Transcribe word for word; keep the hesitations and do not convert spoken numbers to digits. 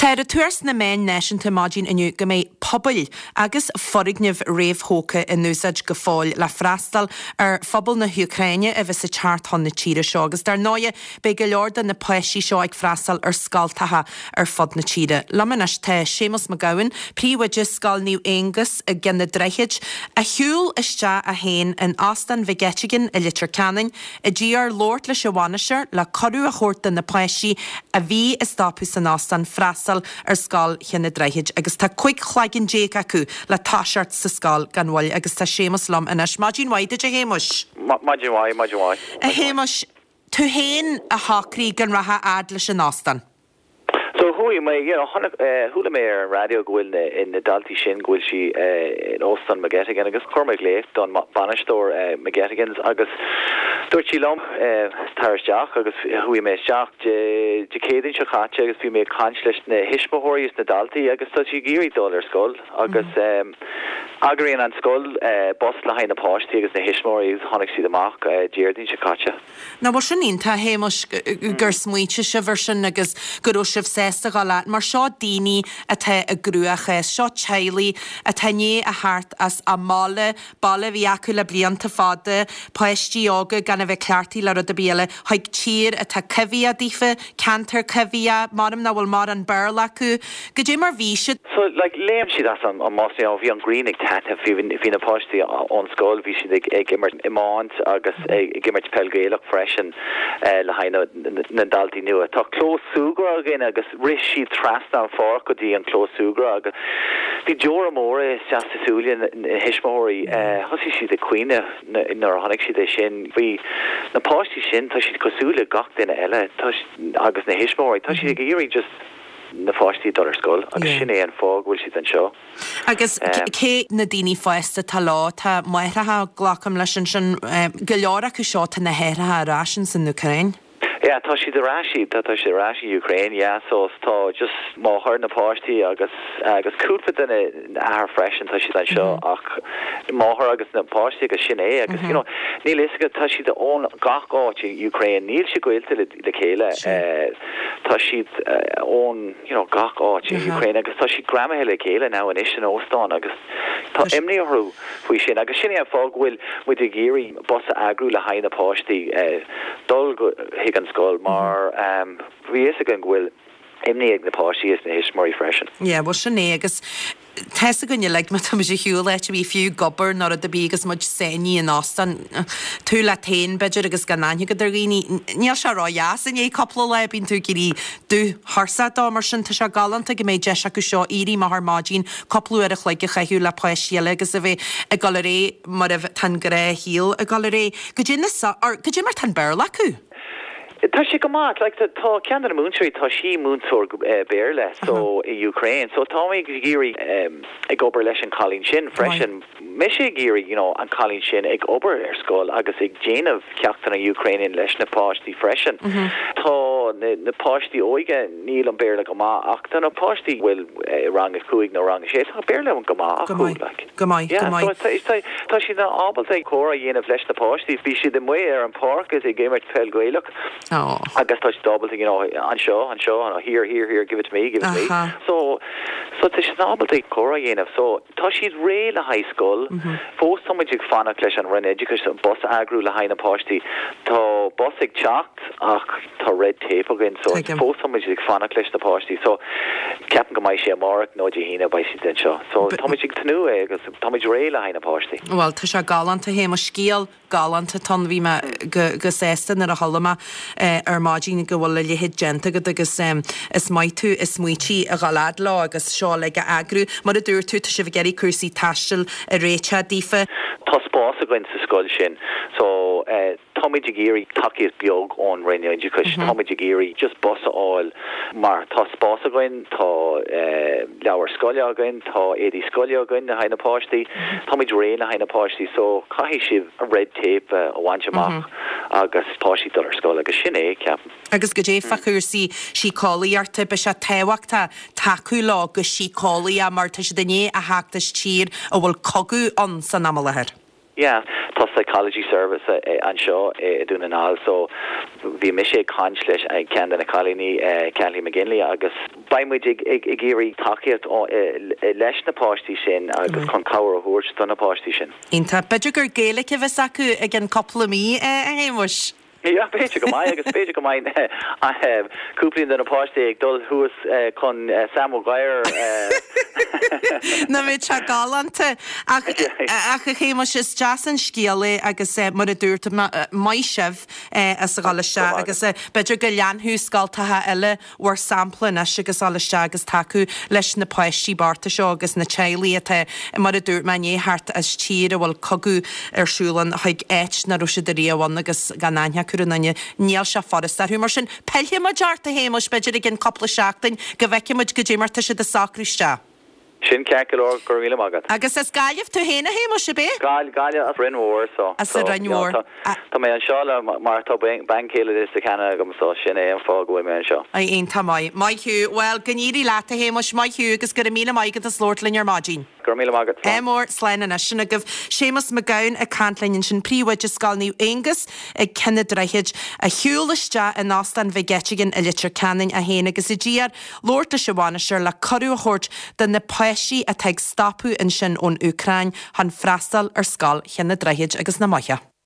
Tá ar tuar sna meáin náisiúnta maidin inniu go mbeidh pubaill agus foirgnimh réamhthógtha in úsáid go fóill le freastal ar phobal na hÚcráine a bheas ag teacht chun na tíre seo agus dar ndóigh beidh go leor de na páistí seo ag freastal ar scoltacha ar fud na tíre. Liom anois tá Séamus Mac Gabhann, príomhoide Scoil Naomh Aonghus i gCionn an Droichid, a shiúil isteach é féin in Óstán Mhic Eiteagáin i Leitir Ceanainn, i dtír labhairt leis an bhainisteoir le cuireadh a thabhairt do na páistí a bhí ag stopadh san óstán freastal ar Scoil Chionn an Droichid agus tá cúig cloigeann déag acu le toiseacht sa scoil gan mhoill agus tá Séamus liom anois. Maidin mhaith duit a Shéamuis. Maidin mhaith, maidin mhaith. A Shéamuis, tú féin a shocraigh go rachfá fhad leis an óstán. So chuaigh mé you know, uh, chuala mé ar an raidió go bhfuil na, na daltaí sin go bhfuil sí uh, in Óstán McGettigan agus chuir mé glaoch don bainisteoir uh, McGettigans agus dúirt sí liom uh, tar isteach agus chuaigh mé isteach de, de Chéadaoin seo caite agus bhí mé ag caint leis na thuismitheoirí is na daltaí agus tá siad ag iarraidh dul ar scoil agus um, eagraíonn an scoil uh, bus le haghaidh na páistí agus na thuismitheoirí agus tháinig siad amach uh, Déardaoin seo caite. Ná bhfuil sin iontach a Shéamuis gur smaointigh sibh ar sin agus go raibh sibh sásta dul leat, mar seo daoine atá i gcruachás, seo teaghlaigh atá i ndiaidh a theacht as a mbaile, baile a bhí acu le blianta fada, páistí óga gan a bheith cleachtaithe le rud ar bith eile, chuig tír atá coimhthíoch daofa, ceantar coimhthíoch, maram nach bhfuil mórán Béarla acu, Goidé mar bhí siad. So like léim siad as an an mbus bhí an ghrian ag taitneamh bhí bhí na páistí ón scoil bhí siad ag ag imirt iomáint agus ag ag imirt peil Gaelach freisin uh, le haghaidh na, na daltaí nua. Tá clós súgartha againn agus rith siad trasna an pháirc go dtí an clós súgartha agus bhí deora móra isteach sa súile na thuismitheoirí uh, thosaigh siad ag caoineadh nuair a chonaic siad é sin. Bhí na páistí sin tá siad cosúil le gach duine eile tá agus na thuismitheoirí tá siad ag iarraidh just na páistí dul ar scoil agus yeah. sin é an fáth go bhfuil siad anseo. Agus um, cé na daoine fásta tá lá tá máithreacha glacaim leis an sin go leor acu seo tá na haithreacha ar ais san Úcráin. Yeah, tá siad ar ais tá tá siad ar ais in Ukraine, yeah, so tá just máthair na páistí agus agus cúpla duine athair freisin tá siad anseo mm -hmm. ach máthair agus na páistí agus sin é agus mm -hmm. you know, níl is go tá siad ón gach áit in Ukraine níl siad gaolta le, le chéile uh, tá siad uh, ón you know, gach áit in uh -huh. Ukraine agus tá siad greamaithe le chéile now anois in óstán agus tá imní orthu faoi sin agus sin é an fáth go bhfuil muid ag iarraidh bus a eagrú le haghaidh na páistí uh, dul chuig an scoil mar um, bhí fhios againn go bhfuil imní ag na páistí is na thuismitheoirí freisin. Ja, well sin é agus Tá gunne le má tá sé hiúla a bhí fiú gobar ná a bí agus muid saoní in óstán tú le tain b'fhéidir agus gan aithne agat ar dhaoine níl sé ródheas in é cúpla lá bíonn tú ag iarraidh dútharsá dá mar sin tá sé galánta go mbeidh deis acu seo éirí amach ar maidin cúpla uair a chloig a chaitheamh le páistí eile agus a bheith ag dul ar aghaidh mar a tá an gnáthshaol ag dul ar aghaidh. Goidé or goidé mar tá an Béarla acu. Tá sé go maith like, tá ceann na múinteoirí tá sí múinteoir uh, Béarla so uh -huh. i Ukraine so tá mé ag iarraidh um, ag obair leis an cailín sin freisin mise ag iarraidh you know, an cailín sin ag obair ar scoil agus ag déanamh ceachtanna Ukrainian leis na páistí freisin. Mm -hmm. Tá na, na páistí óga níl an Béarla go maith ach tá na páistí bhfuil eh, rang a cúig nó rang sé tá Béarla an go maith acu like. Go maith yeah, so, tá, tá siad na ábalta comhrá a dhéanamh leis na páistí bhí siad amuigh ar an pháirc is ag imirt peil Gaelach Oh. agus tá siad ábalta you know, anseo anseo an here here here give it to me give it to me so so tá siad ábalta comhrá a dhéanamh so tá siad réidh le haghaidh scoil mm -hmm. fós tá muid ag fanacht leis an Roinn Oideachais an bus eagrú le haghaidh na páistí tá bus ag teacht ach tá red tape againn so fós tá muid ag fanacht leis na páistí so ceapaim go mbeidh sé amárach nó Dé hAoine beidh siad anseo so tá muid ag tnúth é agus tá muid réidh le haghaidh na páistí. Well tá sé galánta hé mo scéal galánta ton bhí mé go go sásta nuair a chuala mé eh, ar maidin go bhfuil a leithéid déanta agat agus um, is maith tú is smaointigh a ghalad lá agus seo le go eagrú mar a dúirt tú tá sibh ag iarraidh cúrsaí taistil a réiteach daofa. Tá spás againn sa scoil sin so uh, tá muid ag iarraidh tacaíocht beag ón Roinn Oideachais mm -hmm. tá muid ag iarraidh just bus a fháil mar tá spás againn tá uh, leabhar scoile againn tá éadaí scoile againn le haghaidh na páistí mm -hmm. Tá muid réidh le haghaidh na páistí so caithfidh sibh a red tape uh, a bhaint amach mm -hmm. agus páistí dul ar scoil agus sin é ceapaim. Agus goidé fá chúrsaí síceolaíochta be sé tábhachtach tacú leo go síceolaíoch mar tá siad i ndiaidh a theacht as tír a bhfuil cogadh ann san am i láthair. Yeah, tá psychology service anseo i Dún na nGall so bhí mise ag caint leis ceann de na cailíní Kelly McGinley agus beidh muid ag ag iarraidh tacaíocht leis na páistí sin agus chun cabhair a thabhairt do na páistí sin. Iontach b'fhéidir gur Gaeilge a bheas acu i gceann cúpla mí a Shéamuis. Ja b'fhéidir go maith agus b'fhéidir go mbeidh cúpla de na páistí ag dul thuas chun Sam Maguire. Nach mbeadh sé galánta ach ach a Shéamuis is deas an scéal é agus mar a dúirt maith sibh as a dhul isteach agus b'fhéidir go leanfaidh scoltacha eile bhur sampla anois agus dul isteach agus tacú leis na páistí bochta seo agus na teaghlaigh atá mar a dúirt mé inné thart as tír a bhfuil cogadh ar siúl ann chuig áit nach raibh siad ariamh ann agus gan aithne acu ar aon duine níl sé furasta orthu mar sin pillfidh muid ort a Shéamuis b'fhéidir i gceann cúpla seachtain go bhfeicfidh muid goidé mar tá siad ag socrú isteach. Sin ceart go leor go raibh míle maith agat. Agus as Gaillimh tú féin a Shéamuis ab ea? Gail Gaillimh as Rinn Mhór so. As an Rinn Mhór. Tá mé anseo le mar tá bean chéile Leitir agam so sin é an fáth go bhfuil mé anseo. Ai iontach maith. Maith thú well go n-éirí leat a Shéamuis maith thú agus go raibh míle maith agat as labhairt linn ar maidin. Go raibh míle maith agat. Ádh mór slán anois sin agaibh Séamus Mac Gabhann ag caint linn ansin príomhoide Scoil Naomh Aonghus ag Cionn an Droichid a shiúil isteach in Óstán Mhig Eiteagáin i Leitir Ceanainn é féin agus a deartháir labhairt leis an bhainisteoir le cuireadh a thabhairt do na páistí atá ag stopadh ansin ón Úcráin chun freastal ar scoil Chionn an Droichid agus na maithe.